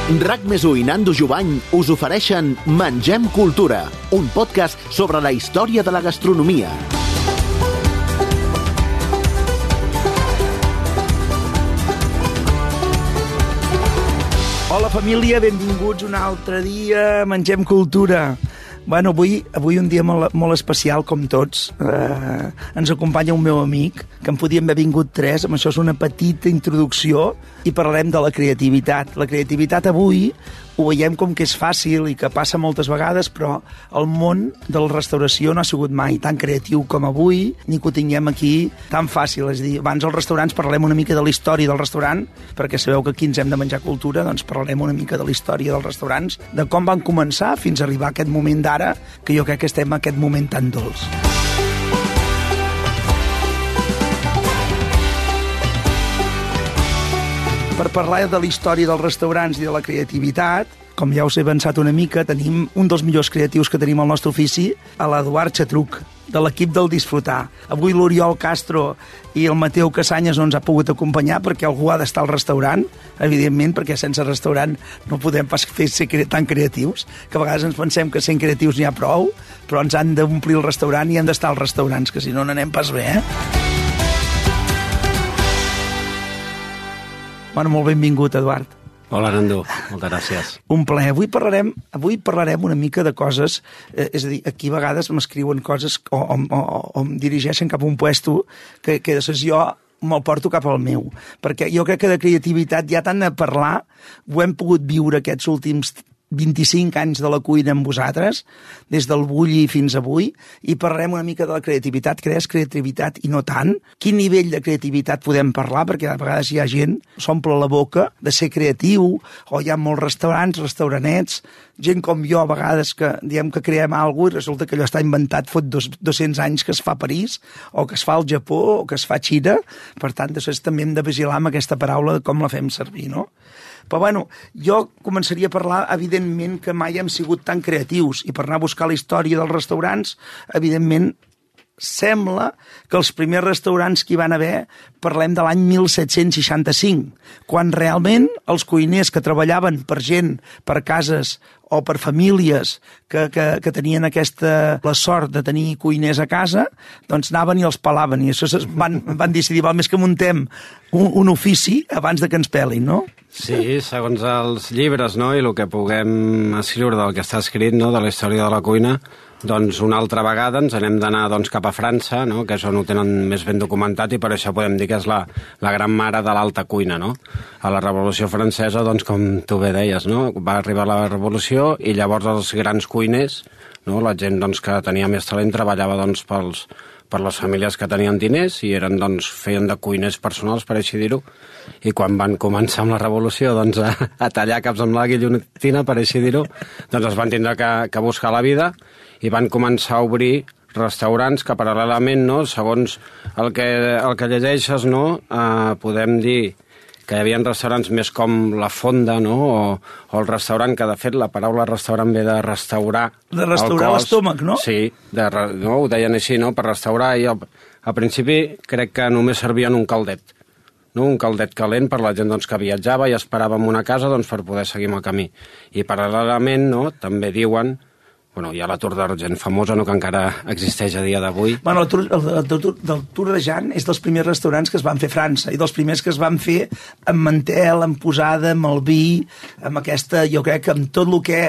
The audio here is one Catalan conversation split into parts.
RAC+1 i Nando Jubany us ofereixen Mengem Cultura, un podcast sobre la història de la gastronomia. Hola família, benvinguts un altre dia a Mengem Cultura. Bueno, avui un dia molt especial, com tots. Ens acompanya un meu amic, que en podíem haver vingut tres, amb això és una petita introducció, i parlarem de la creativitat. La creativitat avui ho veiem com que és fàcil i que passa moltes vegades, però el món de la restauració no ha sigut mai tan creatiu com avui, ni que ho tinguem aquí tan fàcil. És a dir, abans als restaurants parlem una mica de la història del restaurant, perquè sabeu que aquí ens hem de menjar cultura, doncs parlarem una mica de la història dels restaurants, de com van començar fins a arribar a aquest moment d'ara, que jo crec que estem en aquest moment tan dolç. Per parlar de la història dels restaurants i de la creativitat, com ja us he avançat una mica, tenim un dels millors creatius que tenim al nostre ofici, a l'Eduard Xatruc, de l'equip del Disfrutar. Avui l'Oriol Castro i el Mateu Casanyes no ens ha pogut acompanyar perquè algú ha d'estar al restaurant, evidentment, perquè sense restaurant no podem pas ser tan creatius, que a vegades ens pensem que sent creatius n'hi ha prou, però ens han d'omplir el restaurant i han d'estar als restaurants, que si no n'anem pas bé, Bueno, molt benvingut, Eduard. Hola, Nando. Moltes gràcies. Un plaer. Avui parlarem una mica de coses, és a dir, aquí a vegades m'escriuen coses o em dirigeixen cap a un puesto que després jo me'l porto cap al meu, perquè jo crec que de creativitat ja tant a parlar, ho hem pogut viure aquests últims 25 anys de la cuina amb vosaltres, des del bulli fins avui, i parlarem una mica de la creativitat, que és creativitat i no tant. Quin nivell de creativitat podem parlar? Perquè a vegades hi ha gent que s'omple la boca de ser creatiu, o hi ha molts restaurants, restauranets, gent com jo a vegades que diem que creem alguna cosa i resulta que allò està inventat fot 200 anys que es fa a París, o que es fa al Japó, o que es fa a Xina. Per tant, després també hem de vigilar amb aquesta paraula de com la fem servir, no? Però bueno, jo començaria a parlar, evidentment, que mai hem sigut tan creatius, i per anar a buscar la història dels restaurants, evidentment, sembla que els primers restaurants que hi van haver parlem de l'any 1765, quan realment els cuiners que treballaven per gent, per cases o per famílies que tenien la sort de tenir cuiners a casa, doncs anaven i els pelaven, i això van decidir, val més que muntem un ofici abans de que ens pelin, no? Sí, segons els llibres, no?, i el que puguem escriure del que està escrit, no?, de la història de la cuina, doncs una altra vegada ens n'hem d'anar cap a França, no?, que és on ho tenen més ben documentat, i per això podem dir que és la gran mare de l'alta cuina, no? A la Revolució Francesa, doncs, com tu bé deies, no?, va arribar la Revolució i llavors els grans cuiners, no?, la gent doncs, que tenia més talent treballava doncs, per les famílies que tenien diners i feien de cuiners personals, per així dir-ho, i quan van començar amb la Revolució doncs, a tallar caps amb la guillotina, per així dir-ho, doncs es van tindre que buscar la vida i van començar a obrir restaurants que paral·lelament, no, segons el que llegeixes, no, podem dir que hi havia restaurants més com la fonda, no?, o el restaurant, que de fet la paraula restaurant ve de restaurar de restaurar l'estómac, no? Sí, no, ho deien així, no?, per restaurar, i al principi crec que només servien un caldet, no?, un caldet calent per la gent doncs, que viatjava i esperava en una casa doncs, per poder seguir amb el camí. I paral·lelament, no?, també diuen, bueno, hi ha la Tour d'Argent famosa, no?, que encara existeix a dia d'avui. Bueno, el Tour d'Argent és dels primers restaurants que es van fer a França, i dels primers que es van fer amb mantel, amb posada, amb el vi, amb aquesta, jo crec que amb tot el que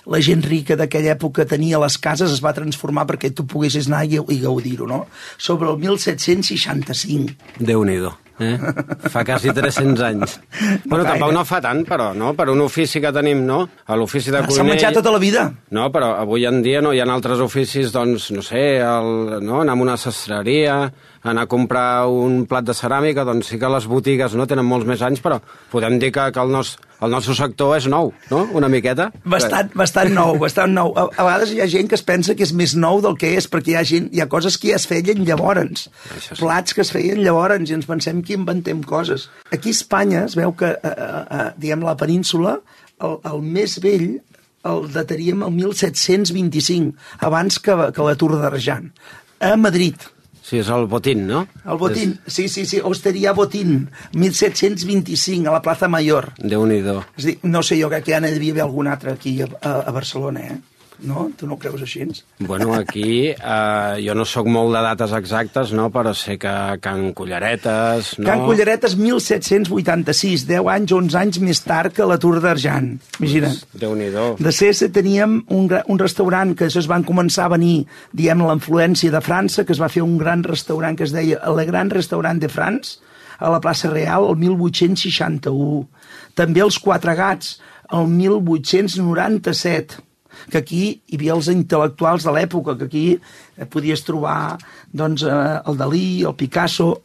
la gent rica d'aquella època tenia a les cases es va transformar perquè tu poguessis anar i gaudir-ho, no? Sobre el 1765. Déu-n'hi-do. Fa quasi 300 anys. Bueno, tampoc no fa tant, però, no? Per un ofici que tenim, no? L'ofici de cuiner... S'ha menjat tota la vida. No, però avui en dia no hi ha altres oficis, doncs, no sé, no? Anar a una sastreria, anar a comprar un plat de ceràmica, doncs sí que les botigues no tenen molts més anys, però podem dir que el nostre sector és nou, no? Una miqueta. Bastant nou, bastant nou. A vegades hi ha gent que es pensa que és més nou del que és, perquè hi ha coses que ja es feien llavors, sí. Plats que es feien llavors, i ens pensem que inventem coses. Aquí a Espanya es veu que, diguem, la península, el més vell el dataríem el 1725, abans que la Tour d'Argent, a Madrid. Sí, és el Botín, no? El Botín, sí, Osteria Botín, 1725, a la Plaza Mayor. Déu-n'hi-do. És a dir, no sé, jo crec que ja n'hi devia haver algun altre aquí a Barcelona, No? Tu no ho creus així? Bueno, aquí jo no sóc molt de dates exactes, no? Però sé que Can Culleretes... No? Can Culleretes, 1786, 10 anys, 11 anys més tard que la Tour d'Argent. Imagina't. Déu-n'hi-do. De Cessa teníem un restaurant que es van començar a venir, diguem, la influència de França, que es va fer un gran restaurant que es deia Le Grand Restaurant de France, a la plaça Real, el 1861. També els Quatre Gats, el 1897, que aquí hi havia els intel·lectuals de l'època, que aquí podies trobar doncs, el Dalí, el Picasso,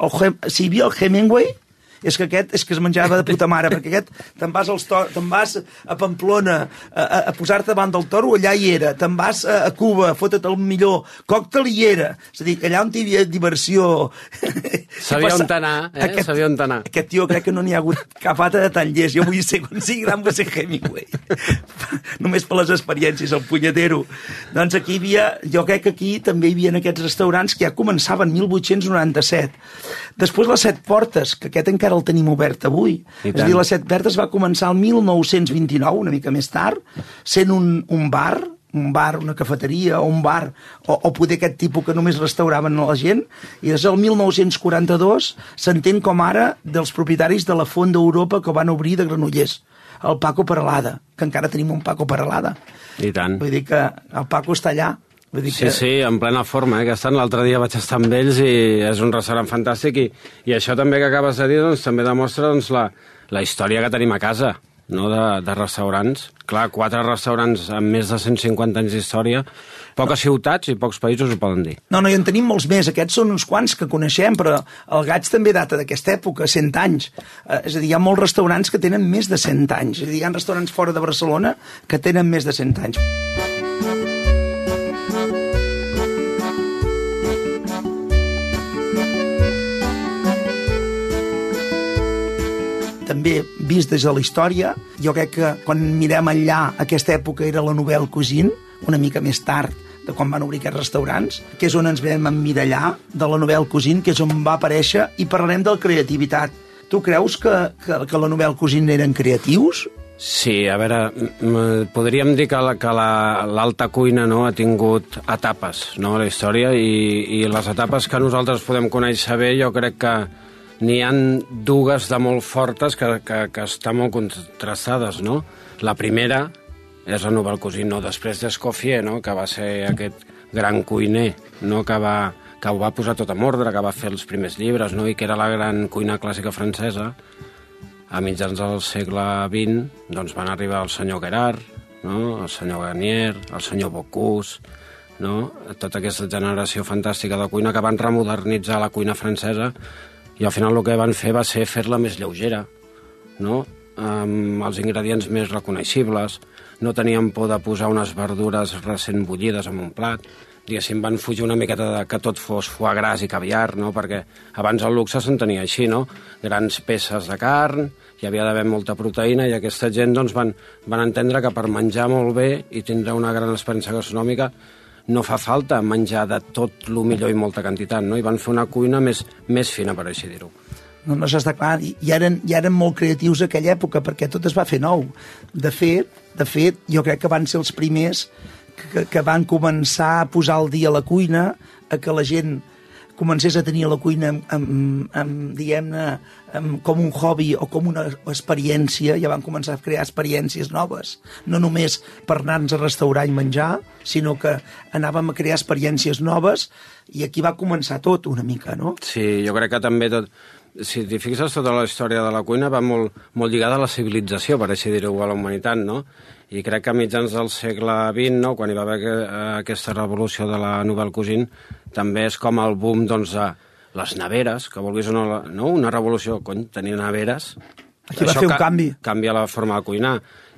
si hi havia el Hemingway, és que aquest és que es menjava de puta mare, perquè aquest te'n vas a Pamplona a posar-te davant del toro, allà hi era, te'n vas a Cuba, fotre't el millor còctel, hi era, és a dir, allà on hi havia diversió... Sabia on anar, sabia on anar. Aquest tio crec que no n'hi ha hagut cap altre de tan llest, jo vull ser, quan sigui gran vull ser Hemingway, només per les experiències, el punyetero. Doncs aquí hi havia, jo crec que aquí també hi havia aquests restaurants que ja començaven 1897. Després les Set Portes, que aquest encara el tenim obert avui. És a dir, les Set Portes va començar el 1929, una mica més tard, sent un bar, una cafeteria, o un bar, o poder aquest tipus que només restauraven a la gent, i des del 1942 s'entén com ara dels propietaris de la Font d'Europa que van obrir de Granollers, el Paco Peralada, que encara tenim un Paco Peralada. I tant. Vull dir que el Paco està allà. Sí, en plena forma, que estan. L'altre dia vaig estar amb ells i és un restaurant fantàstic i això també que acabes de dir doncs, també demostra doncs, la història que tenim a casa, no? de restaurants. Clar, 4 restaurants amb més de 150 anys d'història, poques ciutats i pocs països ho poden dir. No, i en tenim molts més, aquests són uns quants que coneixem, però el Gaig també data d'aquesta època, 100 anys. És a dir, hi ha molts restaurants que tenen més de 100 anys, és a dir, hi ha restaurants fora de Barcelona que tenen més de 100 anys. També vist des de la història, jo crec que quan mirem enllà, aquesta època era la Nouvelle Cuisine, una mica més tard de quan van obrir aquests restaurants, que és on ens vam emmirallar de la Nouvelle Cuisine, que és on va aparèixer, i parlarem de la creativitat. Tu creus que la Nouvelle Cuisine eren creatius? Sí, a veure, podríem dir que l'alta cuina, no, ha tingut etapes, no, a la història, i les etapes que nosaltres podem conèixer bé, jo crec que n'hi ha dues de molt fortes que estan molt contrastades, no? La primera és la Nouvelle Cuisine, no? Després d'Escoffier, no? Que va ser aquest gran cuiner, no? Que ho va posar tot en ordre, que va fer els primers llibres, no? I que era la gran cuina clàssica francesa. A mitjans del segle XX doncs van arribar el senyor Gerard, no? El senyor Garnier, el senyor Bocuse, no? Tota aquesta generació fantàstica de cuina que van remodernitzar la cuina francesa. I al final el que van fer va ser fer-la més lleugera, no? Amb els ingredients més reconeixibles, no tenien por de posar unes verdures recent bullides en un plat, diguéssim, van fugir una miqueta de que tot fos foie gras i caviar, no? Perquè abans el luxe s'entenia així, no? Grans peces de carn, hi havia d'haver molta proteïna i aquesta gent doncs, van entendre que per menjar molt bé i tindre una gran experiència gastronòmica no fa falta menjar de tot el millor i molta quantitat, no? I van fer una cuina més fina, per així dir-ho. No està clar, i eren molt creatius a aquella època, perquè tot es va fer nou. De fet, jo crec que van ser els primers que van començar a posar al dia la cuina, a que la gent comencés a tenir la cuina diguem-ne, com un hobby o com una experiència, ja van començar a crear experiències noves. No només per anar-nos a restaurar i menjar, sinó que anàvem a crear experiències noves i aquí va començar tot una mica, no? Sí, jo crec que també tot... Si t'hi fixes, tota la història de la cuina va molt lligada a la civilització, per així dir-ho, a la humanitat, no? I crec que a mitjans del segle XX, no, quan hi va haver aquesta revolució de la Nouvelle Cuisine, també és com el boom doncs, de les neveres, que vulguis o no, una revolució, tenir neveres... Aquí va fer un canvi. Canvia la forma de cuinar.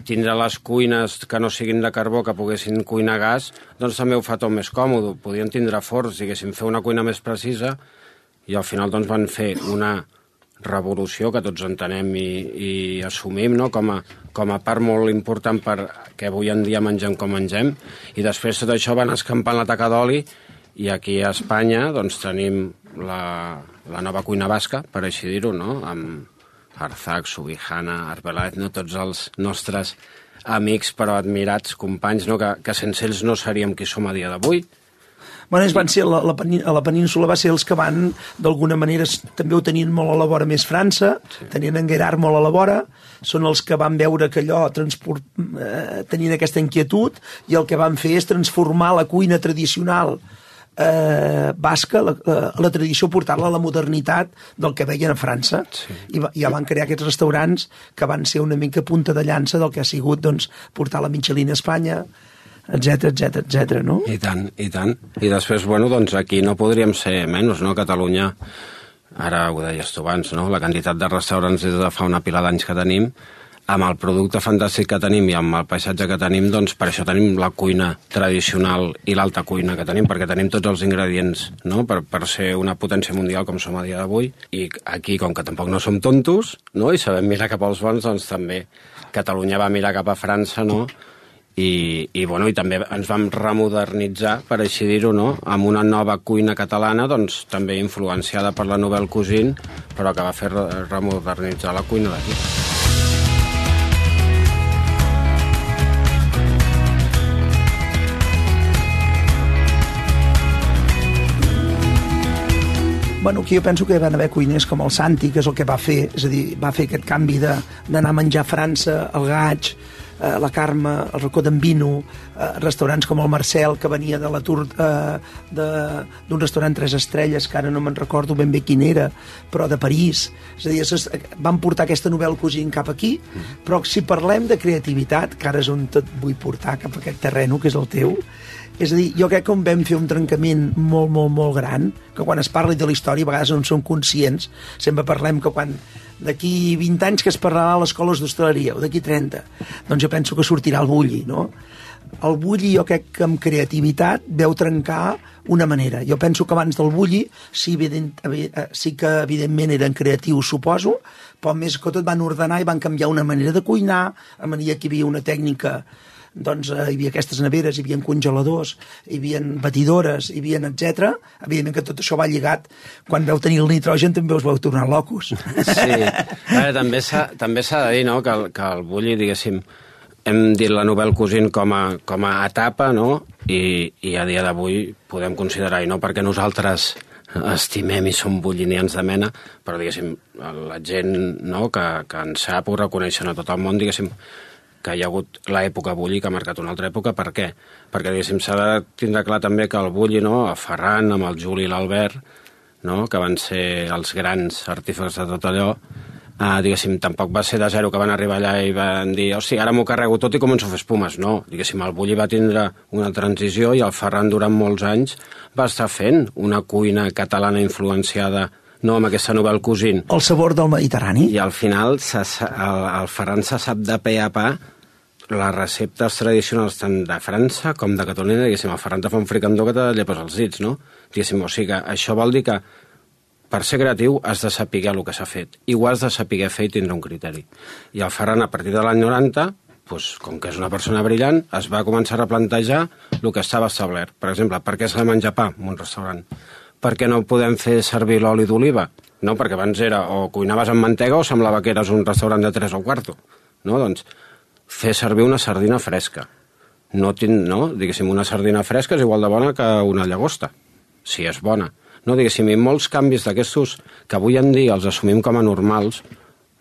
Tindre les cuines que no siguin de carbó, que poguessin cuinar a gas, doncs també ho fa tot més còmode. Podien tindre forns, diguéssim, fer una cuina més precisa, i al final doncs, van fer una revolució que tots entenem i assumim, no? com a part molt important perquè avui en dia mengem com mengem, i després tot això van escampant la taca d'oli, i aquí a Espanya doncs, tenim la nova cuina basca, per així dir-ho, no? Amb Arzak, Subijana, Arbeláez, no? Tots els nostres amics però admirats, companys, no? Que sense ells no seríem qui som a dia d'avui. Bueno, ells van ser, a la península va ser els que van, d'alguna manera, també ho tenien molt a la vora més França, tenien en Gerard molt a la vora, són els que van veure que allò tenien aquesta inquietud, i el que van fer és transformar la cuina tradicional basca, la tradició, portar-la a la modernitat del que veien a França. Sí. I ja van crear aquests restaurants que van ser una mica punta de llança del que ha sigut, doncs, portar la Michelin a Espanya, etc, no? I tant. I després, bueno, doncs aquí no podríem ser menys, no? Catalunya, ara ho deies tu abans, no? La quantitat de restaurants des de fa una pila d'anys que tenim, amb el producte fantàstic que tenim i amb el paisatge que tenim, doncs per això tenim la cuina tradicional i l'alta cuina que tenim, perquè tenim tots els ingredients, no? Per ser una potència mundial com som a dia d'avui. I aquí, com que tampoc no som tontos, no? I sabem mirar cap als bons, doncs també Catalunya va mirar cap a França, no? I també ens vam remodernitzar, per així dir-ho, no? Amb una nova cuina catalana, doncs també influenciada per la Nouvelle Cuisine, però que va fer remodernitzar la cuina d'aquí. Bueno, aquí jo penso que van haver cuiners com el Santi, que és el que va fer, és a dir, va fer aquest canvi d'anar a menjar a França, el Gaig, la Carme, el Racó d'en Vino, restaurants com el Marcel, que venia de l'atur d'un restaurant 3 estrelles, que ara no me'n recordo ben bé quin era, però de París. És a dir, van portar aquesta Nouvelle Cuisine cap aquí, però si parlem de creativitat, que ara és on tot vull portar cap a aquest terreno, que és el teu, és a dir, jo crec que vam fer un trencament molt, molt, molt gran, que quan es parli de la història a vegades no en som conscients. Sempre parlem que quan d'aquí 20 anys que es parlarà a les escoles d'hostaleria, o d'aquí 30, doncs jo penso que sortirà el bulli, no? El bulli jo crec que amb creativitat veu trencar una manera. Jo penso que abans del bulli sí que evidentment eren creatius, suposo, però més que tot van ordenar i van canviar una manera de cuinar, a manera que hi havia una tècnica, doncs hi havia aquestes neveres, hi havia congeladors, hi havia batidores, hi havia etc. Evidentment que tot això va lligat. Quan veu tenir el nitrogen també us vau tornar locos. Sí, també s'ha de dir, no?, que el bulli, diguéssim, hem dit la Nouvelle Cuisine com a etapa, no?, i a dia d'avui podem considerar, i no perquè nosaltres estimem i som bullinians de mena, però, diguéssim, la gent, no?, que ens sap, ho reconeixen a tot el món, diguéssim, que hi ha hagut l'època bulli que ha marcat una altra època. Per què? Perquè, diguéssim, s'ha de tindre clar també que el bulli, no?, a Ferran, amb el Juli i l'Albert, no?, que van ser els grans artífexs de tot allò, diguéssim, tampoc va ser de zero que van arribar allà i van dir, hosti, ara m'ho carrego tot i començo a fer espumes. No, diguéssim, el bulli va tindre una transició i el Ferran durant molts anys va estar fent una cuina catalana influenciada, no, amb aquesta Nouvelle Cuisine. El sabor del Mediterrani. I al final el Ferran se sap de pe a pa les receptes tradicionals tant de França com de Catalunya. Diguéssim, el Ferran te fa un fricandó que te llepes els dits, no? Diguéssim, o sigui que això vol dir que per ser creatiu has de saber el que s'ha fet i ho has de saber fer i tindre un criteri. I el Ferran, a partir de l'any 90, doncs, com que és una persona brillant, es va començar a replantejar el que estava establert. Per exemple, per què s'ha de menjar pa en un restaurant? Per què no podem fer servir l'oli d'oliva? No, perquè abans era o cuinaves amb mantega o semblava que eres un restaurant de 3 o quarto. No, doncs, fer servir una sardina fresca. No, diguéssim, una sardina fresca és igual de bona que una llagosta, si és bona. No, diguéssim, i molts canvis d'aquestos que avui en dia els assumim com a normals,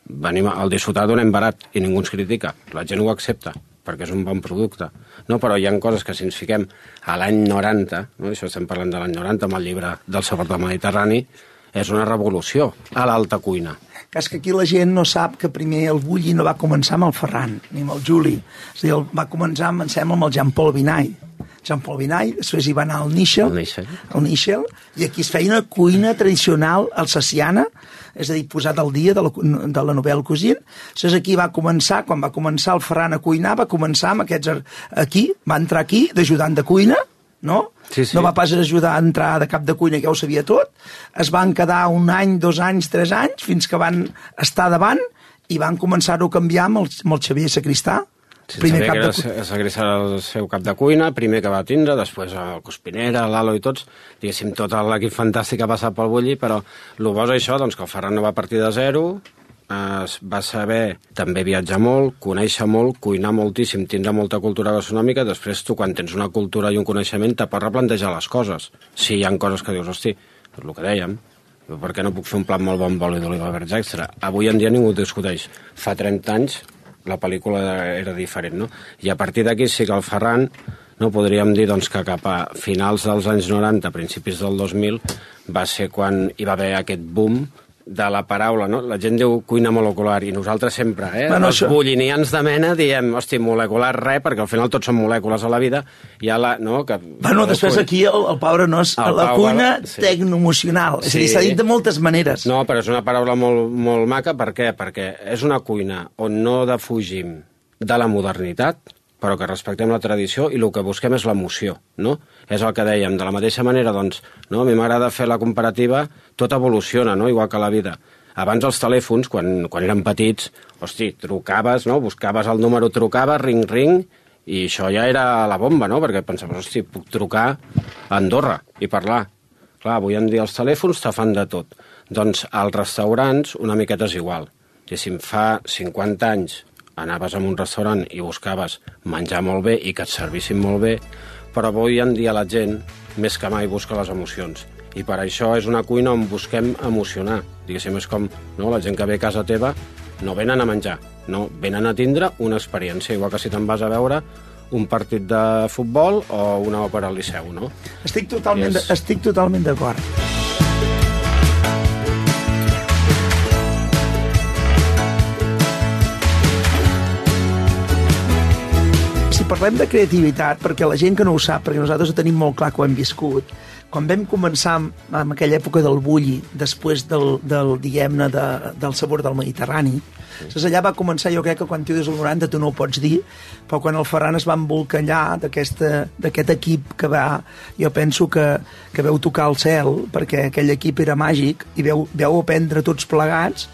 venim al disfrutar donem barat i ningú ens critica. La gent ho accepta, perquè és un bon producte. No, però hi ha coses que si ens fiquem a l'any 90, no? Això estem parlant de l'any 90 amb el llibre del sabor del Mediterrani, és una revolució a l'alta cuina. Que és que aquí la gent no sap que primer el bulli no va començar amb el Ferran, ni amb el Juli. És a dir, va començar, em sembla, amb el Jean-Paul Vinall. Jean-Paul Vinall, després hi va anar al Nichel, i aquí es feia una cuina tradicional alsaciana, és a dir, posat al dia de la Nouvelle Cuisine. Llavors aquí va començar, quan va començar el Ferran a cuinar, va començar amb aquests aquí, va entrar aquí d'ajudant de cuina, no? Sí. No va pas ajudar a entrar de cap de cuina, que ja ho sabia tot. Es van quedar 1 any, 2 anys, 3 anys, fins que van estar davant i van començar-ho a canviar amb el Xavier Sacristà, Sabia que serà el seu cap de cuina, primer que va tindre, després el Cospinera, l'Alo i tots, diguéssim, tot l'equip fantàstic ha passat pel Bulli, però el bo és això, doncs, que el Ferran no va partir de zero, va saber també viatjar molt, conèixer molt, cuinar moltíssim, tindre molta cultura gastronòmica, després tu, quan tens una cultura i un coneixement, te pots replantejar les coses. Si hi ha coses que dius, hosti, és el que dèiem, per què no puc fer un plat molt bon amb oli d'oliva verds extra? Avui en dia ningú discuteix. Fa 30 anys la pel·lícula era diferent, no? I a partir d'aquí sí que el Ferran, no, podríem dir doncs, que cap a finals dels anys 90, principis del 2000, va ser quan hi va haver aquest boom de la paraula, no? La gent diu cuina molecular, i nosaltres sempre, els bullinians de mena, diem, hosti, molecular res, perquè al final tots són molècules a la vida, i no? Que, després aquí el Pau Arenós, la cuina tecnoemocional, és a dir, s'ha dit de moltes maneres. No, però és una paraula molt, molt maca, per què? Perquè és una cuina on no defugim de la modernitat, però que respectem la tradició i el que busquem és l'emoció, no? És el que dèiem. De la mateixa manera, doncs, no? A mi m'agrada fer la comparativa, tot evoluciona, no? Igual que la vida. Abans els telèfons, quan eren petits, hosti, trucaves, no? Buscaves el número, trucaves, ring, ring, i això ja era la bomba, no? Perquè pensaves, hosti, puc trucar a Andorra i parlar. Clar, avui en dia els telèfons te fan de tot. Doncs als restaurants una miqueta és igual. Si fa 50 anys anaves a un restaurant i buscaves menjar molt bé i que et servissin molt bé, però avui en dia la gent, més que mai, busca les emocions. I per això és una cuina on busquem emocionar. Diguéssim, és com la gent que ve a casa teva no venen a menjar, no, venen a tindre una experiència, igual que si te'n vas a veure un partit de futbol o una òpera al Liceu, no? Estic totalment d'acord. Parlem de creativitat, perquè la gent que no ho sap, perquè nosaltres ho tenim molt clar que ho hem viscut, quan vam començar en aquella època del Bulli, després diguem-ne, del sabor del Mediterrani, allà va començar, jo crec que quan tu des del 90 tu no ho pots dir, però quan el Ferran es va embolcallar d'aquest equip que va, jo penso que veu tocar el cel, perquè aquell equip era màgic, i veu aprendre tots plegats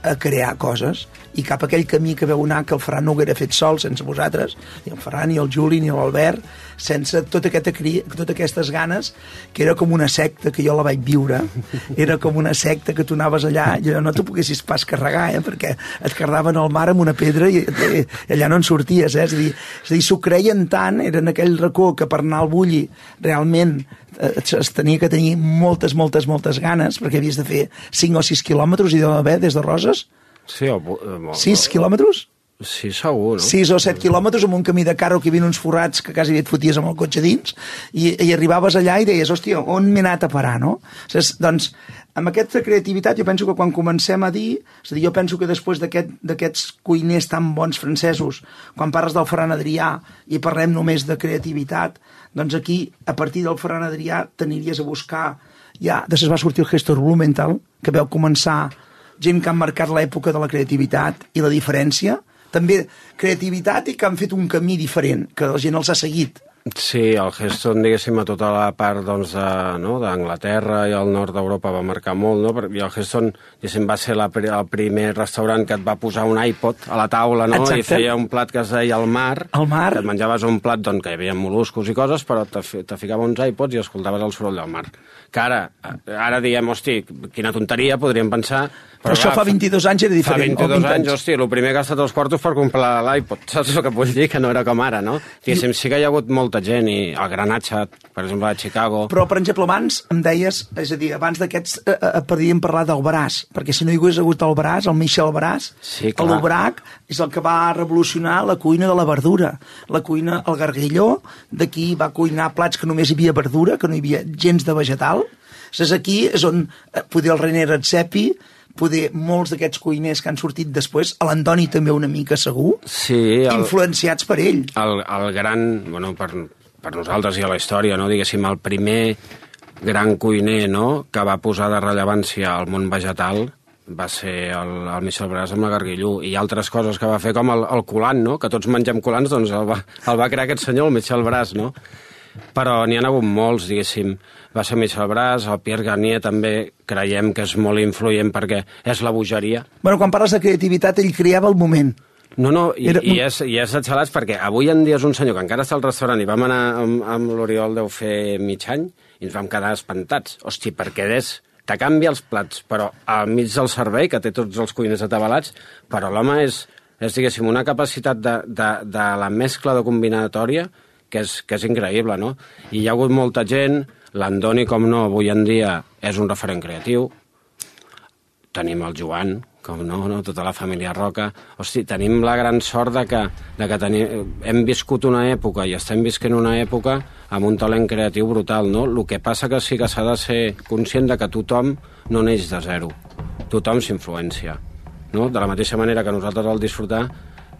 a crear coses, i cap a aquell camí que veu anar que el Ferran no ho haguera fet sol sense vosaltres, ni el Ferran, ni el Juli, ni l'Albert, sense totes aquestes ganes, que era com una secta, que jo la vaig viure, era com una secta que tu anaves allà, i no t'ho poguessis pas carregar, perquè et carregaven al mar amb una pedra i allà no en sorties, És a dir, s'ho creien tant, era en aquell racó que per anar al Bulli realment es tenia que tenir moltes ganes, perquè havies de fer 5 o 6 quilòmetres i deu haver des de Roses. Sí, 6 quilòmetres? Sí, segur, no? 6 o 7 quilòmetres amb un camí de carro que hi havia uns forrats que quasi et foties amb el cotxe dins i arribaves allà i deies, hòstia, on m'he anat a parar, no? Doncs, amb aquesta creativitat jo penso que quan comencem a dir, és a dir, jo penso que després d'aquests cuiners tan bons francesos, quan parles del Ferran Adrià i parlem només de creativitat, doncs aquí, a partir del Ferran Adrià, t'aniries a buscar, ja, després va sortir el Heston Blumenthal, que veu començar gent que han marcat l'època de la creativitat i la diferència, també creativitat i que han fet un camí diferent, que la gent els ha seguit. Sí, el Heston, diguéssim, a tota la part d'Anglaterra i al nord d'Europa va marcar molt, no? I el Heston, diguéssim, va ser el primer restaurant que et va posar un iPod a la taula, no? Exacte. I feia un plat que es deia el mar. El mar. Que et menjaves un plat que hi havia mol·luscos i coses, però te ficava uns iPods i escoltaves el soroll del mar. Que ara diem, hosti, quina tonteria, podríem pensar... Però això fa 22 anys era diferent. Fa 22 anys, hosti, el primer que ha estat els quartos per comprar l'iPod, saps el que vull dir? Que no era com ara, no? Diguéssim, sí que hi ha hagut molta gent, i el Granatge, per exemple, a Chicago... Però, per exemple, abans em deies, és a dir, abans d'aquests podríem parlar del Braç, perquè si no hi hagués hagut el Braç, el Michel Braç, sí, l'Aubrac és el que va revolucionar la cuina de la verdura, la cuina, el Garguilló, d'aquí va cuinar plats que només hi havia verdura, que no hi havia gens de vegetal. Aquí és on poder el René Redzepi, poder molts d'aquests cuiners que han sortit després, a l'Antoni també una mica segur, sí, influenciats per ell. El gran, bueno, per nosaltres i a la història, no, diguéssim, el primer gran cuiner, no, que va posar de rellevància al món vegetal va ser el Michel Braç amb la Garguilló, i altres coses que va fer, com el colant, no, que tots mengem colants, doncs el va crear aquest senyor, el Michel Braç, no? Però n'hi ha hagut molts, diguéssim. Va ser Michel Braç, el Pierre Garnier també creiem que és molt influent perquè és la bogeria. Bueno, quan parles de creativitat, ell creava el moment. No, i és xalats perquè avui en dia és un senyor que encara està al restaurant i vam anar amb l'Oriol deu fer mig any i ens vam quedar espantats. Hosti, perquè te canvia els plats, però al mig del servei, que té tots els cuiners atabalats, però l'home és diguéssim, una capacitat de la mescla de combinatòria que és increïble, no? I hi ha hagut molta gent, l'Andoni, com no, avui en dia és un referent creatiu, tenim el Joan, com no, tota la família Roca. Hosti, tenim la gran sort de que hem viscut una època i estem visquent una època amb un talent creatiu brutal, no? El que passa que sí que s'ha de ser conscient de que tothom no neix de zero. Tothom s'influencia, no? De la mateixa manera que nosaltres al disfrutar,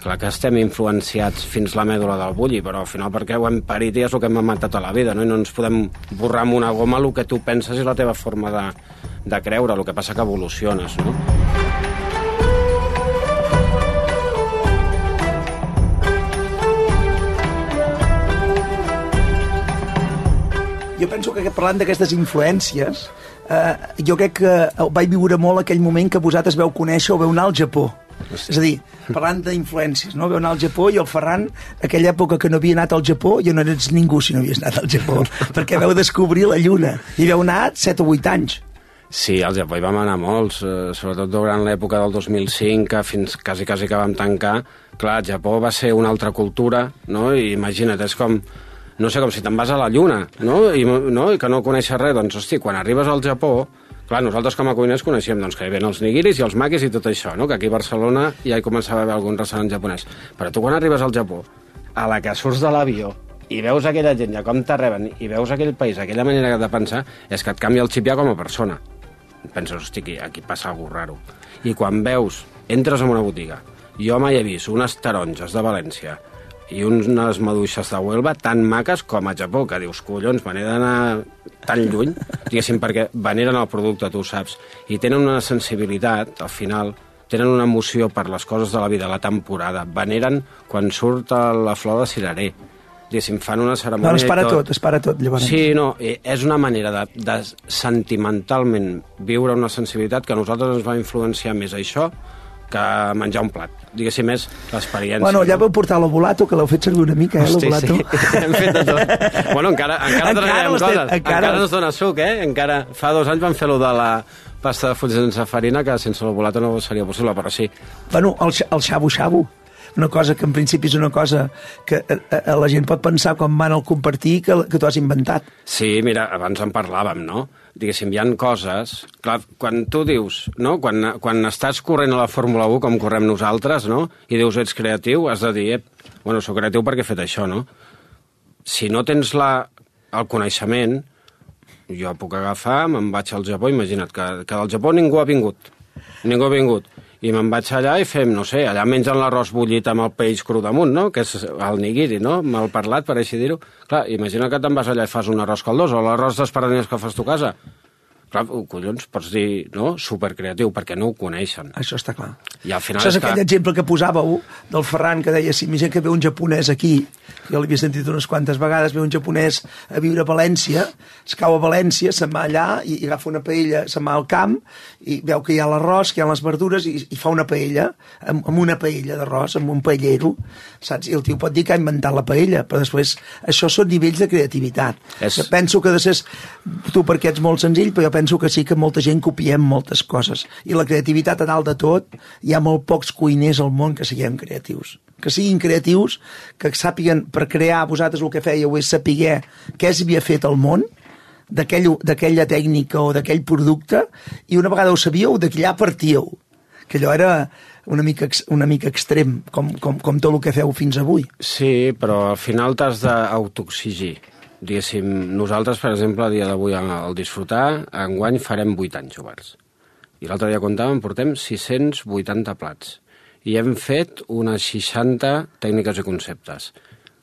clar que estem influenciats fins la mèdula del bulli, però al final perquè ho hem parit i és el que hem matat tota la vida, no? I no ens podem borrar amb una goma el que tu penses i la teva forma de creure, el que passa que evoluciones, no? Jo penso que parlant d'aquestes influències, jo crec que vaig viure molt aquell moment que vosaltres veu conèixer o veu anar al Japó. És a dir, parlant d'influències, no? Veu anar al Japó i el Ferran, aquella època que no havia anat al Japó, jo no eres ningú si no havies anat al Japó, perquè veu descobrir la Lluna i veu anar 7 o 8 anys. Sí, al Japó hi vam anar molts, sobretot durant l'època del 2005, que fins quasi que vam tancar. Clar, el Japó va ser una altra cultura, no? I imagina't, és com... No sé, com si te'n vas a la Lluna, no? I que no coneixes res. Doncs, hosti, quan arribes al Japó... Clar, nosaltres com a cuiners coneixíem doncs, que hi havia els nigiris i els makis i tot això, no? Que aquí a Barcelona ja hi començava a haver algun restaurant japonès. Però tu quan arribes al Japó, a la que surts de l'avió i veus aquella gent ja com te reben i veus aquell país, aquella manera de pensar, és que et canvia el xip ja com a persona. Penses, hosti, aquí passa alguna raro. I quan veus, entres en una botiga, jo mai he vist unes taronges de València i unes maduixes de Huelva tan maques com a Japó, que dius, collons, me n'he d'anar tan lluny, diguéssim, perquè veneren el producte, tu ho saps, i tenen una sensibilitat, al final, tenen una emoció per les coses de la vida, la temporada, veneren quan surt la flor de cirerer, diguéssim, fan una cerimònia... No, es para tot, llavors. Sí, no, és una manera de sentimentalment viure una sensibilitat que a nosaltres ens va influenciar més això que menjar un plat. Diguéssim, és l'experiència. Bueno, ja vau portar l'ovulato, que l'heu fet servir una mica, l'ovulato. Sí, hem fet de tot. Bueno, encara treballarem coses. Encara ens dona suc, Encara fa 2 anys vam fer-lo de la pasta de fruits sense farina, que sense l'ovulato no seria possible, però sí. Bueno, el xabu-xabu. Una cosa que en principi és una cosa que la gent pot pensar quan van al compartir que tu has inventat. Sí, mira, abans en parlàvem, no? Diguéssim, hi ha coses... Clar, quan tu dius, no? Quan estàs corrent a la Fórmula 1, com correm nosaltres, no? I dius, ets creatiu, has de dir, bueno, soc creatiu perquè he fet això, no? Si no tens el coneixement, jo puc agafar, me'n vaig al Japó, imagina't que del Japó ningú ha vingut. I me'n vaig allà i fem, no sé, allà mengen l'arròs bullit amb el peix cru damunt, no? Que és el nigiri, no? Mal parlat, per així dir-ho. Clar, imagina que te'n vas allà i fas un arròs caldós o l'arròs d'espardenyes que fas tu a casa. Clar, collons, pots dir, no? Supercreatiu, perquè no ho coneixen. Això està clar. I al final això és aquell exemple que posàveu del Ferran, que deia, si imagina que ve un japonès aquí, jo l'havia sentit unes quantes vegades, ve un japonès a viure a València, es cau a València, se'n va allà i agafa una paella, se'n va al camp i veu que hi ha l'arròs, que hi ha les verdures i fa una paella, amb una paella d'arròs, amb un paellero, saps? I el tio pot dir que ha inventat la paella, però després això són nivells de creativitat. Jo penso que de ser, tu perquè ets molt senzill, però jo penso que sí que molta gent copiem moltes coses. I la creativitat a dalt de tot, hi ha molt pocs cuiners al món que siguem creatius. Que siguin creatius, que sàpiguen, per crear, vosaltres el que fèieu és saber què s'havia fet al món, d'aquella tècnica o d'aquell producte, i una vegada ho sabíeu, d'allà partíeu. Que allò era una mica extrem, com tot el que feu fins avui. Sí, però al final t'has d'autoexigir. Diguéssim, nosaltres, per exemple, a dia d'avui al disfrutar, enguany farem 8 anys oberts. I l'altre dia comptàvem, portem 680 plats. I hem fet unes 60 tècniques i conceptes.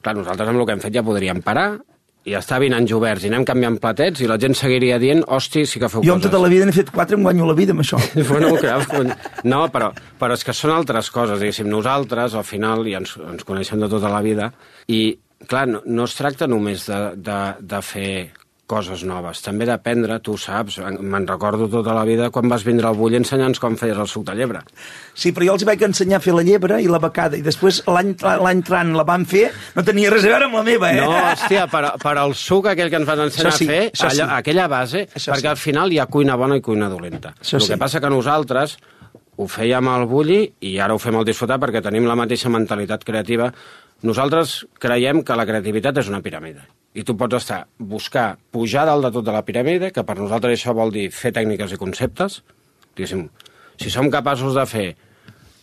Clar, nosaltres amb el que hem fet ja podríem parar i estar 20 anys oberts i anem canviant platets i la gent seguiria dient, hosti, sí que feu coses. Jo tota la vida n'he fet 4, em guanyo la vida amb això. Bueno, clar, no, però és que són altres coses, diguéssim. Nosaltres, al final, ja ens coneixem de tota la vida i, clar, no es tracta només de fer coses noves, també d'aprendre, tu saps, me'n recordo tota la vida quan vas vindre al Bulli ensenyant com feies el suc de llebre. Sí, però jo els vaig ensenyar a fer la llebre i la becada, i després l'any entrant la van fer, no tenia res a veure amb la meva, No, hòstia, per al suc aquell que ens vas ensenyar a fer, aquella base, perquè al final hi ha cuina bona i cuina dolenta. El que passa que nosaltres ho fèiem al Bulli i ara ho fem al Disfrutar perquè tenim la mateixa mentalitat creativa. Nosaltres creiem que la creativitat és una piràmide. I tu pots buscar pujar dalt de tot de la piràmide, que per nosaltres això vol dir fer tècniques i conceptes. Diguéssim, si som capaços de fer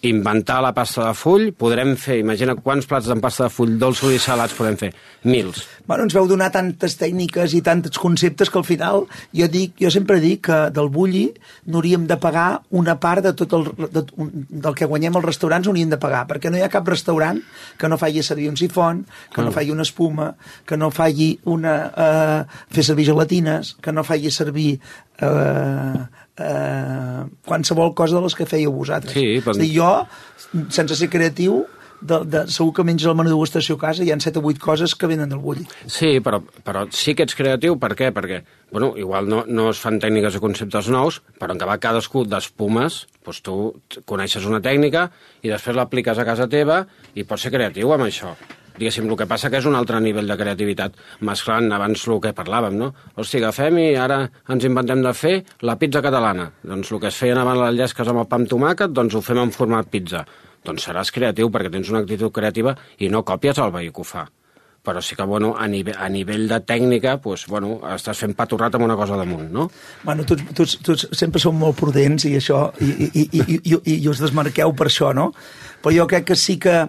inventar la pasta de full, podrem fer, imagina quants plats de pasta de full dolços i salats podem fer, mils. Bueno, ens veu donar tantes tècniques i tants conceptes que al final jo sempre dic que del Bulli n'hauríem de pagar una part de tot del que guanyem als restaurants, hauríem de pagar, perquè no hi ha cap restaurant que no faci servir un sifon, que no faci una espuma, que no faci fer servir gelatines, que no faci servir qualsevol cosa de les que fèieu vosaltres. Sí, però... És a dir, jo, sense ser creatiu, segur que menges el menú de degustació a casa, hi ha 7 o 8 coses que venen del Bulli. Sí, però sí que ets creatiu, per què? Perquè, bueno, igual no es fan tècniques i conceptes nous, però en acabar cadascú d'espumes, doncs tu coneixes una tècnica i després l'apliques a casa teva i pots ser creatiu amb això. Diguéssim, el que passa que és un altre nivell de creativitat, mesclant abans el que parlàvem, no? Hosti, agafem i ara ens inventem de fer la pizza catalana. Doncs el que es feien abans les llesques amb el pa amb tomàquet, doncs ho fem en format pizza. Doncs seràs creatiu perquè tens una actitud creativa i no còpies el veí que ho fa. Però sí que, bueno, a nivell de tècnica, doncs, bueno, estàs fent paturrat amb una cosa damunt, no? Bueno, tots sempre som molt prudents i això, i us desmarqueu per això, no? Però jo crec que sí que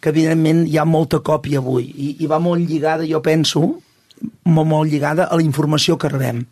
evidentment hi ha molta còpia avui i va molt lligada, jo penso, molt lligada a la informació que rebem.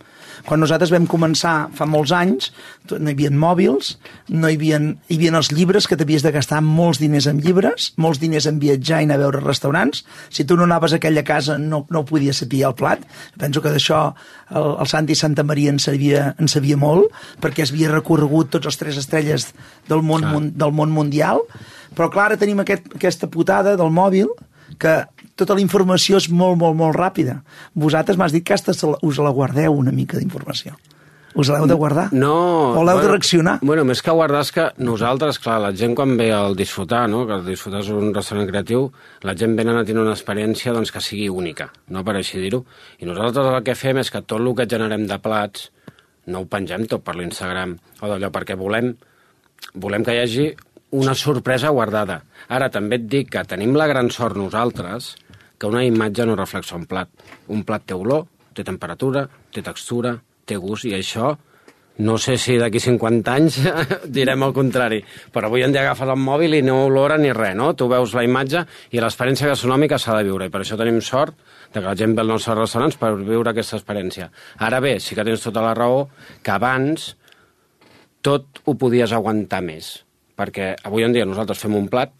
Quan nosaltres vam començar fa molts anys, no hi havia mòbils, hi havia els llibres, que t'havies de gastar molts diners en llibres, molts diners en viatjar i anar a veure restaurants. Si tu no anaves a aquella casa no podies saber el plat. Penso que d'això el Santi Santa Maria en sabia molt, perquè es havia recorregut tots els 3 estrelles del món mundial. Però clar, ara tenim aquesta putada del mòbil, que tota la informació és molt, molt, molt ràpida. Vosaltres m'has dit que us la guardeu una mica d'informació. Us l'heu de guardar? No. O l'heu de reaccionar? Bueno, més que guardar és que nosaltres, clar, la gent quan ve al Disfrutar, no?, que el Disfrutar és un restaurant creatiu, la gent venen a tenir una experiència doncs, que sigui única, no per així dir-ho. I nosaltres el que fem és que tot el que generem de plats no ho pengem tot per l'Instagram o d'allò, perquè volem que hi hagi una sorpresa guardada. Ara també et dic que tenim la gran sort nosaltres que una imatge no reflexa un plat. Un plat té olor, té temperatura, té textura, té gust, i això no sé si d'aquí 50 anys direm el contrari, però avui en dia agafes el mòbil i no olora ni res, no? Tu veus la imatge i l'experiència gastronòmica s'ha de viure, i per això tenim sort de que la gent ve als nostres restaurants per viure aquesta experiència. Ara bé, sí que tens tota la raó que abans tot ho podies aguantar més, perquè avui en dia nosaltres fem un plat,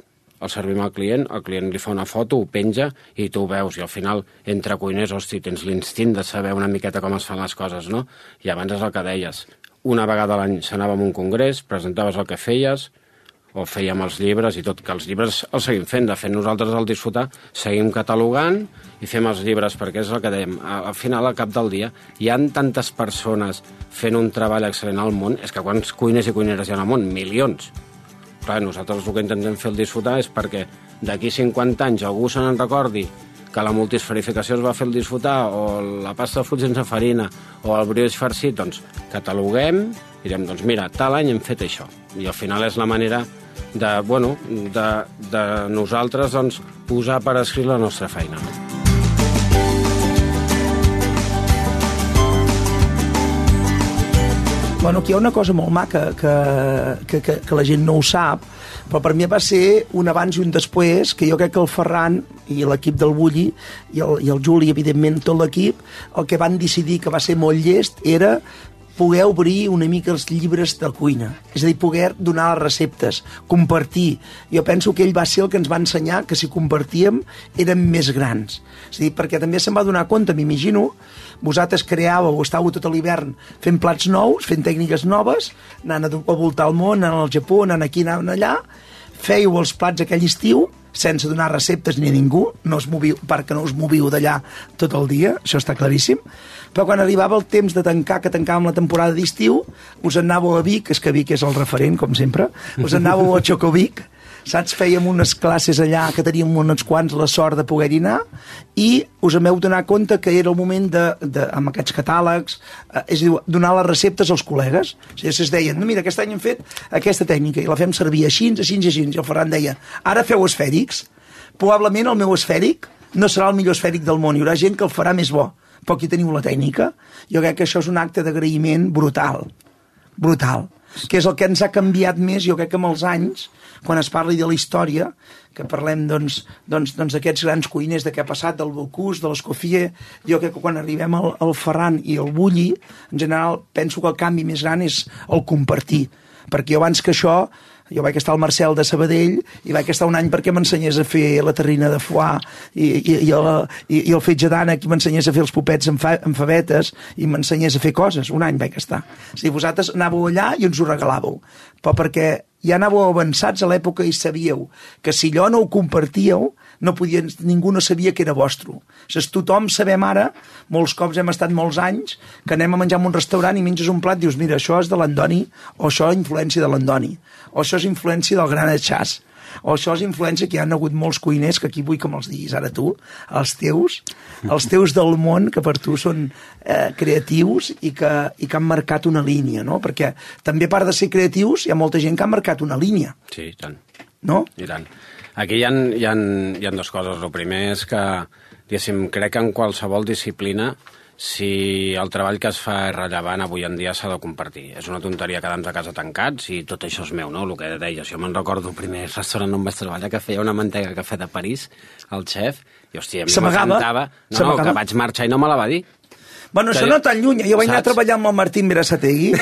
el servim al client li fa una foto, ho penja i tu ho veus, i al final, entre cuiners, hosti, tens l'instint de saber una miqueta com es fan les coses, no? I abans és el que deies, una vegada a l'any s'anava a un congrés, presentaves el que feies, o fèiem els llibres i tot, que els llibres els seguim fent. De fet, nosaltres al Disfrutar seguim catalogant i fem els llibres, perquè és el que dèiem, al final, al cap del dia, hi ha tantes persones fent un treball excel·lent al món, és que quants cuiners i cuineres hi ha al món? Milions. Clar, nosaltres el que intentem fer el Disfrutar és perquè d'aquí 50 anys algú se n'en recordi que la multisferificació es va fer el Disfrutar, o la pasta de fruits sense farina, o el brioix farcit, doncs cataloguem i direm, doncs mira, tal any hem fet això. I al final és la manera de nosaltres doncs, posar per escrit la nostra feina. Bueno, aquí hi ha una cosa molt maca que la gent no ho sap, però per mi va ser un abans i un després, que jo crec que el Ferran i l'equip del Bulli i el Juli, evidentment, tot l'equip, el que van decidir que va ser molt llest era poder obrir una mica els llibres de cuina, és a dir, poder donar les receptes, compartir. Jo penso que ell va ser el que ens va ensenyar que si compartíem érem més grans. És a dir, perquè també se'n va donar compte, m'imagino, vosaltres creàveu, estàveu tot l'hivern fent plats nous, fent tècniques noves, anant a voltar el món, anant al Japó, anant aquí, anant allà, fèieu els plats aquell estiu, sense donar receptes ni a ningú, perquè no us moviu d'allà tot el dia, això està claríssim, però quan arribava el temps de tancar, que tancàvem la temporada d'estiu, us anàveu a Vic, és que Vic és el referent, com sempre, us anàveu a Xocovic, saps? Fèiem unes classes allà que teníem uns quants la sort de poder-hi anar i us hem donar compte que era el moment amb aquests catàlegs, és a dir, donar les receptes als col·legues. O sigui, es deien, no, mira, aquest any hem fet aquesta tècnica i la fem servir així, i el Ferran deia, ara feu esfèrics. Probablement el meu esfèric no serà el millor esfèric del món, hi haurà gent que el farà més bo, però aquí teniu la tècnica. Jo crec que això és un acte d'agraïment brutal, que és el que ens ha canviat més, jo crec que amb els anys, quan es parli de la història, que parlem d'aquests grans cuiners, de què ha passat, del Bocuse, de l'Escoffier, jo crec que quan arribem al Ferran i al Bulli, en general penso que el canvi més gran és el compartir, perquè abans que això, jo vaig estar al Marcel de Sabadell i vaig estar un any perquè m'ensenyés a fer la terrina de foie i el fetge d'ànec i m'ensenyés a fer els popets amb favetes i m'ensenyés a fer coses. Un any vaig estar. O sigui, vosaltres anàveu allà i ens ho regalàveu, però perquè ja anàveu avançats a l'època i sabíeu que si allò no ho compartíeu, ningú no sabia que era vostre. O sigui, tothom sabem ara, molts cops hem estat molts anys, que anem a menjar en un restaurant i menges un plat i dius, mira, això és de l'Andoni, o això és influència de l'Andoni, o això és influència del gran Chas, o això és influència que hi ha hagut molts cuiners, que aquí vull que me'ls diguis ara tu, els teus del món, que per tu són creatius i que han marcat una línia, no? Perquè també a part de ser creatius hi ha molta gent que ha marcat una línia. Sí, i tant. No? I tant. Aquí hi ha dues coses. El primer és que, diguéssim, crec que en qualsevol disciplina, si el treball que es fa és rellevant, avui en dia s'ha de compartir. És una tonteria quedar-nos a casa tancats i tot això és meu, no? El que deies, jo me'n recordo el primer restaurant on vaig treballar que feia una mantega de cafè de París, el xef, i hòstia, a mi m'encantava. No, que vaig marxar i no me la va dir. Bueno, això no tan lluny. Jo vaig anar a treballar amb el Martín Berasategui.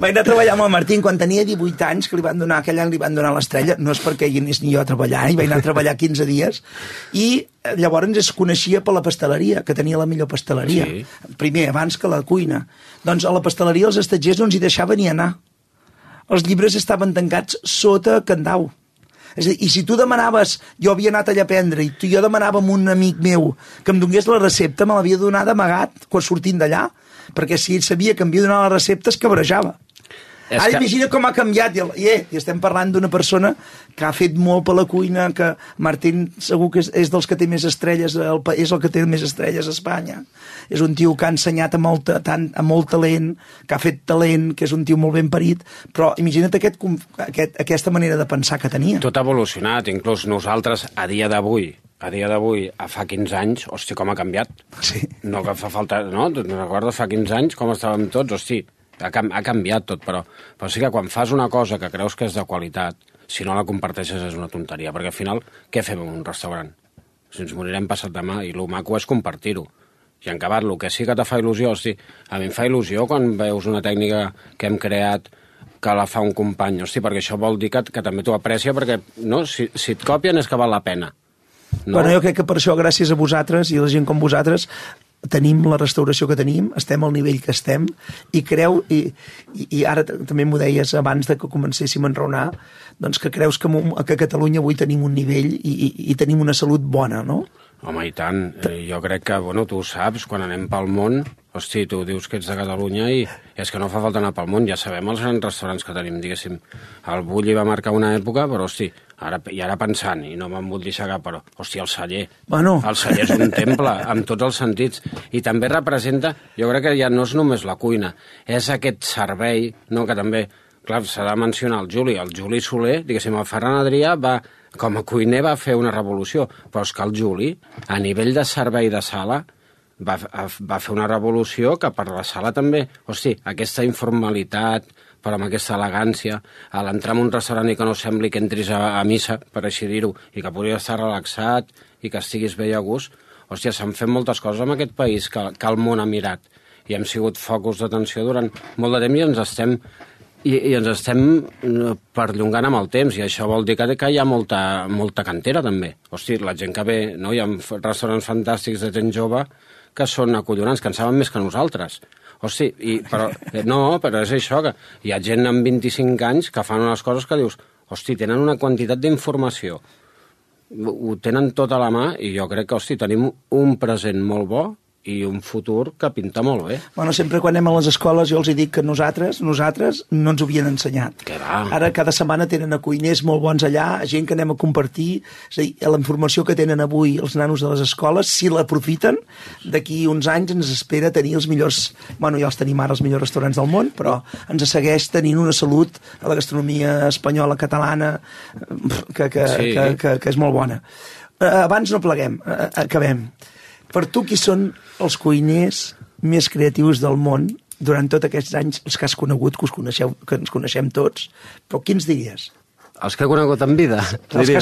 Vaig anar a treballar amb el Martín quan tenia 18 anys, que aquell any li van donar l'estrella. No és perquè hi anés ni jo a treballar, i vaig anar a treballar 15 dies. I llavors es coneixia per la pasteleria, que tenia la millor pasteleria. Sí. Primer, abans que la cuina. Doncs a la pasteleria els estatgers no ens hi deixaven ni anar. Els llibres estaven tancats sota candau. És a dir, i si tu demanaves, jo havia anat allà a aprendre, i jo demanava a un amic meu que em donés la recepta, me l'havia donat d'amagat quan sortint d'allà, perquè si ell sabia que em havia donat la recepta es cabrejava. Ara imagina com ha canviat, i estem parlant d'una persona que ha fet molt per la cuina, que Martín segur que és dels que té més estrelles, és el que té més estrelles a Espanya. És un tio que ha ensenyat amb molt talent, que ha fet talent, que és un tio molt ben parit, però imagina't aquesta manera de pensar que tenia. Tot ha evolucionat, inclús nosaltres a dia d'avui, a fa 15 anys, hòstia, com ha canviat. Sí. No que fa falta, no? Recordo fa 15 anys com estàvem tots, hòstia, ha canviat tot, però sí que quan fas una cosa que creus que és de qualitat, si no la comparteixes és una tonteria, perquè al final, què fem en un restaurant? Si ens morirem passat demà, i el maco és compartir-ho. I en acabat, el que sí que te fa il·lusió, hosti, a mi em fa il·lusió quan veus una tècnica que hem creat que la fa un company, hosti, perquè això vol dir que també t'ho aprecia, perquè no, si et copien és que val la pena. No? Bueno, jo crec que per això, gràcies a vosaltres i a la gent com vosaltres, tenim la restauració que tenim, estem al nivell que estem, i ara també m'ho deies abans de que comencéssim a enraonar, doncs que creus que a Catalunya avui tenim un nivell i tenim una salut bona, no? Home, i tant. Jo crec que, bueno, tu ho saps, quan anem pel món, hosti, tu dius que ets de Catalunya i és que no fa falta anar pel món, ja sabem els grans restaurants que tenim, diguéssim. El Bulli va marcar una època, però, hosti, ara pensant, i no me'n vull deixar cap, però, hosti, el Celler. Bueno. El Celler és un temple, amb tots els sentits. I també representa, jo crec que ja no és només la cuina, és aquest servei, no, que també, clar, s'ha de mencionar el Juli Soler, diguéssim, el Ferran Adrià com a cuiner va fer una revolució, però és que el Juli, a nivell de servei de sala, va fer una revolució que per la sala també, hosti, aquesta informalitat, però amb aquesta elegància, a l'entrar en un restaurant i que no sembli que entris a missa, per així dir-ho, i que podries estar relaxat i que estiguis bé a gust, hòstia, s'han fet moltes coses en aquest país que el món ha mirat, i hem sigut focus d'atenció durant molt de temps i ens estem perllongant amb el temps, i això vol dir que hi ha molta cantera, també. Hosti, la gent que ve, no? Hi ha restaurants fantàstics de gent jove que són acollonants, que en saben més que nosaltres. Hosti, però és això, que hi ha gent amb 25 anys que fan unes coses que dius, hosti, tenen una quantitat d'informació, ho tenen tot a la mà i jo crec que, hosti, tenim un present molt bo i un futur que pinta molt bé. Bueno, sempre quan anem a les escoles jo els dic que nosaltres no ens ho havien ensenyat. Que va. Ara cada setmana tenen a cuiners molt bons allà, gent que anem a compartir, és a dir, la informació que tenen avui els nanos de les escoles, si l'aprofiten, d'aquí uns anys ens espera tenir els millors, bueno, ja els tenim ara els millors restaurants del món, però ens segueix tenint una salut a la gastronomia espanyola, catalana, que és molt bona. Abans no pleguem, acabem. Per tu, qui són els cuiners més creatius del món durant tots aquests anys, els que has conegut, que ens coneixem tots, però quins diries? Els que he conegut en vida? Els que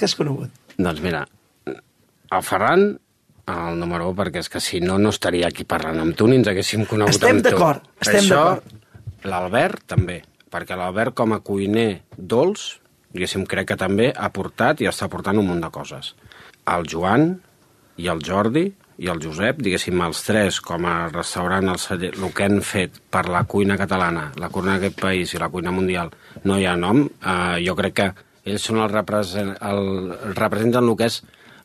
has conegut. Doncs mira, el Ferran, el número 1, perquè és que si no, no estaria aquí parlant amb tu, ni ens haguéssim conegut estem amb tu. Estem d'acord. L'Albert també, perquè l'Albert com a cuiner dolç, diguéssim, crec que també ha portat i està portant un munt de coses. El Joan i el Jordi i el Josep, diguéssim, els tres, com a restaurant, el que han fet per la cuina catalana, la cuina d'aquest país i la cuina mundial, no hi ha nom. Jo crec que ells són representen el que és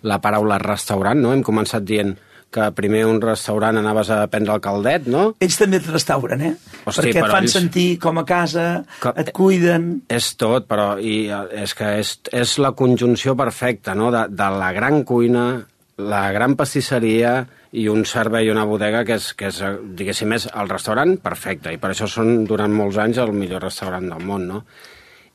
la paraula restaurant, no? Hem començat dient que primer un restaurant anaves a prendre el caldet, no? Ells també et restauren, eh? Hosti, perquè et fan sentir com a casa, et cuiden... És tot, però és que és la conjunció perfecta, no?, de la gran cuina, la gran pastisseria i un servei i una bodega que és, diguéssim, és el restaurant perfecte, i per això són durant molts anys el millor restaurant del món, no?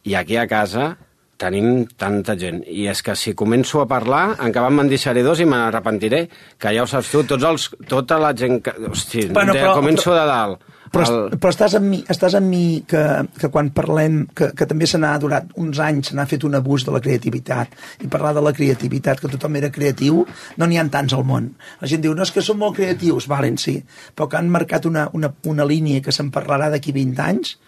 I aquí a casa tenim tanta gent, i és que si començo a parlar, en què me'n deixaré dos i me n'arrepentiré, que ja ho saps tu, tota la gent que... Hosti, començo de dalt. Però estàs amb mi que quan parlem, que també se n'ha durat uns anys, se n'ha fet un abús de la creativitat, i parlar de la creativitat, que tothom era creatiu, no n'hi ha tants al món. La gent diu, no, és que són molt creatius, valen, sí, però que han marcat una línia que se'n parlarà d'aquí 20 anys,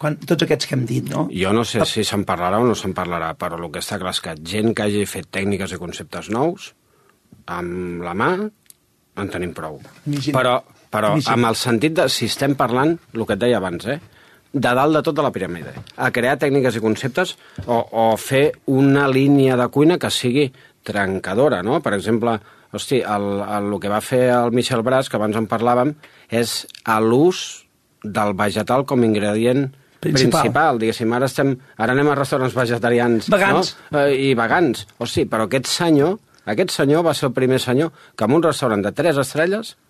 tots aquests que hem dit, no? Jo no sé si se'n parlarà o no se'n parlarà, però el que està clar és que gent que hagi fet tècniques i conceptes nous, amb la mà, en tenim prou. Però amb el sentit de, si estem parlant, el que et deia abans, de dalt de tota la piràmide, a crear tècniques i conceptes o fer una línia de cuina que sigui trencadora, no? Per exemple, hosti, el que va fer el Michel Bras, que abans en parlàvem, és l'ús del vegetal com a ingredient principal, diguéssim. Ara anem a restaurants vegetarians, vegans, no? I vegans. Hosti, però aquest senyor va ser el primer senyor que en un restaurant de 3 estrelles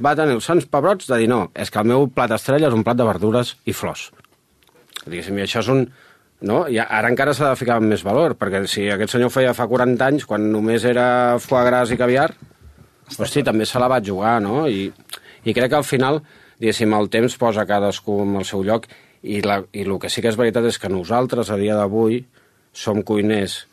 va tenir els sants pebrots de dir no, és que el meu plat estrella és un plat de verdures i flors. Diguéssim, i això és un... No? I ara encara s'ha de ficar amb més valor, perquè si aquest senyor feia fa 40 anys, quan només era foie gras i caviar, hosti, també se la va jugar, no? I crec que al final, diguéssim, el temps posa cadascú en el seu lloc, i el que sí que és veritat és que nosaltres, a dia d'avui, som cuiners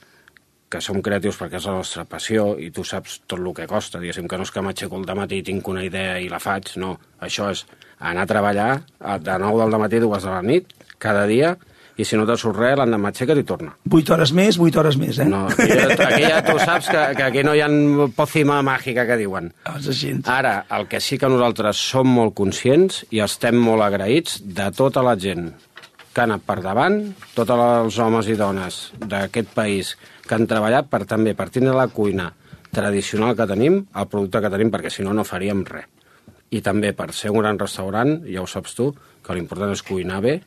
que som creatius perquè és la nostra passió i tu saps tot el que costa, diguéssim, que no és que m'aixeco al dematí i tinc una idea i la faig, no. Això és anar a treballar de 9 del dematí a 2 de la nit, cada dia, i si no te surt res, l'endemà m'aixeca i torna. 8 hores més, eh? No, aquí ja tu saps que aquí no hi ha pòcima màgica que diuen. Ara, el que sí que nosaltres som molt conscients i estem molt agraïts de tota la gent que ha anat per davant, tots els homes i dones d'aquest país que han treballat per tindre la cuina tradicional que tenim, el producte que tenim, perquè si no, no faríem res. I també per ser un gran restaurant, ja ho saps tu, que l'important és cuinar bé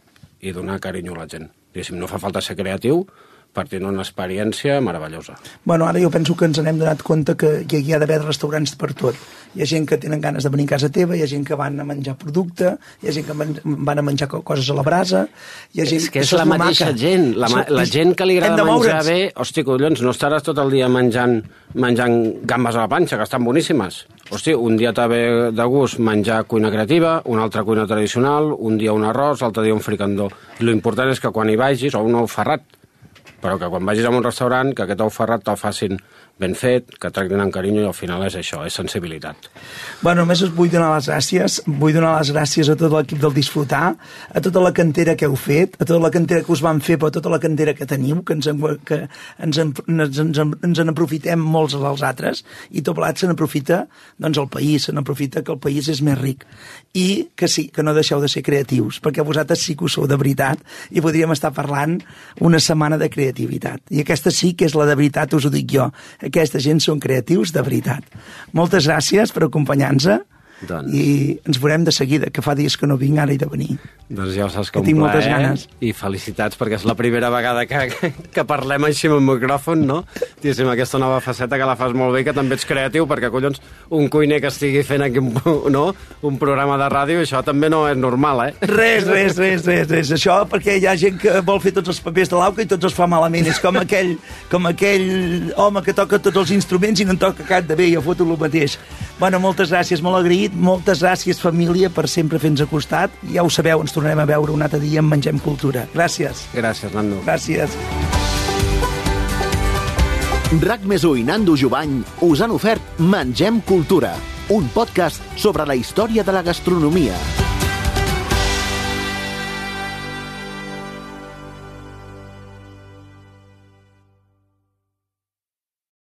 i donar carinyo a la gent. Diguéssim, no fa falta ser creatiu per tenir una experiència meravellosa. Bueno, ara jo penso que ens n'hem donat compte que hi ha d'haver restaurants per tot. Hi ha gent que tenen ganes de venir a casa teva, hi ha gent que van a menjar producte, hi ha gent que van a menjar coses a la brasa, hi ha gent... És que és la mateixa gent, la gent que li agrada menjar bé, hosti, collons, no estaràs tot el dia menjant gambes a la planxa, que estan boníssimes. Hosti, un dia t'ha ve de gust menjar cuina creativa, un altre cuina tradicional, un dia un arròs, l'altre dia un fricandó. I l'important és que quan hi vagis, o un ou ferrat, però que quan vagis a un restaurant, que aquest ou ferrat te'l facin ben fet, que tractin amb carinyo, i al final és això, és sensibilitat. Bueno, només us vull donar les gràcies. Vull donar les gràcies a tot l'equip del Disfrutar, a tota la cantera que heu fet, a tota la cantera que us van fer, però a tota la cantera que teniu, que ens en aprofitem molts dels altres, i tot plat se n'aprofita el país, se n'aprofita que el país és més ric. I que sí, que no deixeu de ser creatius, perquè vosaltres sí que ho sou de veritat, i podríem estar parlant una setmana de creativitat. I aquesta sí que és la de veritat, us ho dic jo. Aquesta gent són creatius de veritat. Moltes gràcies per acompanyar-nos i ens veurem de seguida, que fa dies que no vinc, ara he de venir. Doncs ja ho saps que un tinc plaer, moltes ganes. I felicitats, perquè és la primera vegada que parlem així amb el micròfon, no? Diguéssim, aquesta nova faceta que la fas molt bé, que també ets creatiu, perquè, collons, un cuiner que estigui fent aquí un programa de ràdio, això també no és normal, eh? Res. Això perquè hi ha gent que vol fer tots els papers de l'auca i tots els fa malament. És com aquell home que toca tots els instruments i no en toca cap de bé, jo foto el mateix. Bueno, moltes gràcies, molt agraït. Moltes gràcies, família, per sempre fer-nos a costat. Ja ho sabeu, ens tornarem a veure un altre dia en Mengem Cultura. Gràcies. Gràcies, Nando. Gràcies. RAC+1 i Nando Jubany us han ofert Mengem Cultura, un podcast sobre la història de la gastronomia.